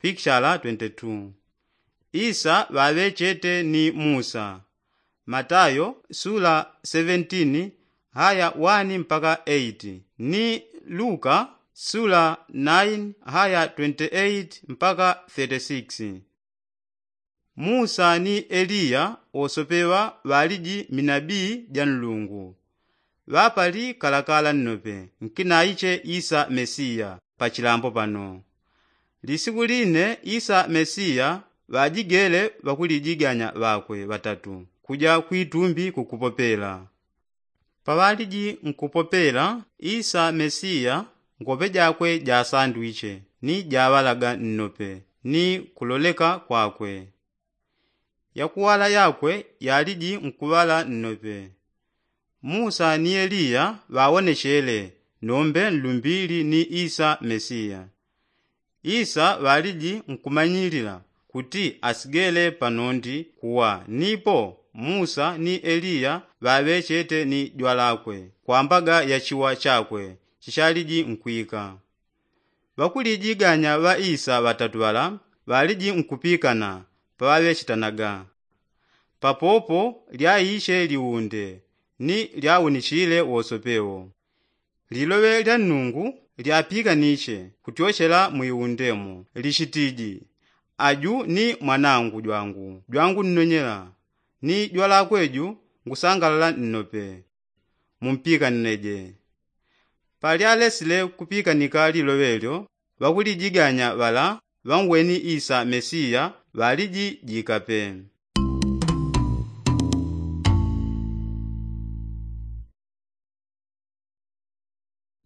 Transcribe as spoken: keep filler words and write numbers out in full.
pikishala twenty-two. Isa ŵaŵechete ni musa. Matayo sula seventeen haya one mpaka eight, ni luka sula nine haya twenty-eight mpaka thirty-six. Musa ni eliya wosopeŵa ŵaliji minabii ja nlungu. Ŵapali kalakala nnope nkinaiche isa mesiya. Pachilambo pano lisiku line isa mesiya ŵajigele ŵakulijiganya ŵakwe ŵatatu kuja kwitumbi kukupopela. Paŵaliji nkupopela isa mesiya ngope jakwe jasandwiche ni jaŵalaga nnope ni kuloleka kwakwe. Yakuŵala yakwe yaliji nkuŵala nnope. Musa ni eliya ŵawonechele nombe nlumbili ni isa mesiya. Isa ŵaliji nkumanyilila kuti asigele panondi kuwa nipo musa ni eliya ŵaŵechete ni jwalakwe kwambaga ya chiwa chakwe chichaliji nkwika. Ŵakulijiganya ŵa isa ŵatatu ŵala ŵaliji nkupikana paŵaŵechitanaga. Papopo lyaiche liunde ni lyaunichile wosopewo. Liloŵe lya nnungu lyapikaniche kutyochela mwiundemo lichitiji, aju ni mwanangu jwangu jwangunnonyela ni jwalakwe ju ngusangalala nnope. Mumpikanileje. Palyalesile kupikanika liloŵe lyo ŵakulijiganya ŵala ŵangweni isa mesiya ŵaliji jikape.